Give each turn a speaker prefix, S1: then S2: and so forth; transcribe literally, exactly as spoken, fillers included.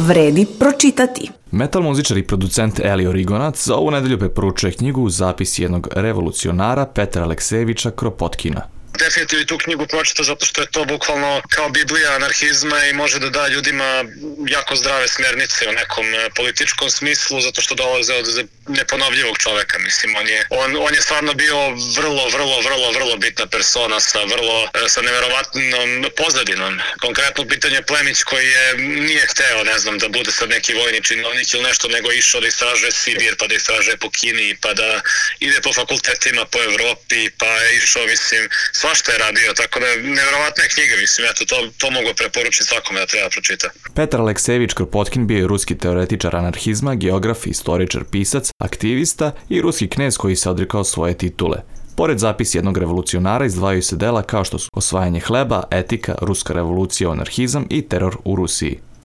S1: vredi pročitati.
S2: Metal muzičar i producent Elio Rigonac za ovu nedelju preporučuje knjigu Zapis jednog revolucionara Petra Aleksejevića Kropotkina.
S3: Definitivno i tu knjigu pročita zato što je to bukvalno kao Biblija anarhizma i može da da ljudima jako zdrave smernice u nekom političkom smislu, zato što dolaze od neponovljivog čoveka. Mislim, on je, on, on je stvarno bio vrlo, vrlo, vrlo, vrlo bitna persona sa vrlo, sa neverovatnom pozadinom. Konkretno pitanje Plemić koji je nije hteo, ne znam, da bude sad neki vojni činovnik ili nešto, nego išao da istražuje Sibir, pa da istražuje po Kini, pa da ide po fakultetima po Evropi, pa je išao, mislim, svašta je radio, tako da nevjerovatna je knjiga, mislim, eto, to, to mogu preporučiti svakome da treba pročita.
S2: Petar Aleksejević Kropotkin bio je ruski teoretičar anarhizma, geograf, istoričar, pisac, aktivista i ruski knez koji se odrekao svoje titule. Pored Zapis jednog revolucionara izdvajaju se dela kao što su Osvajanje hleba, Etika, Ruska revolucija, anarhizam i Teror u Rusiji.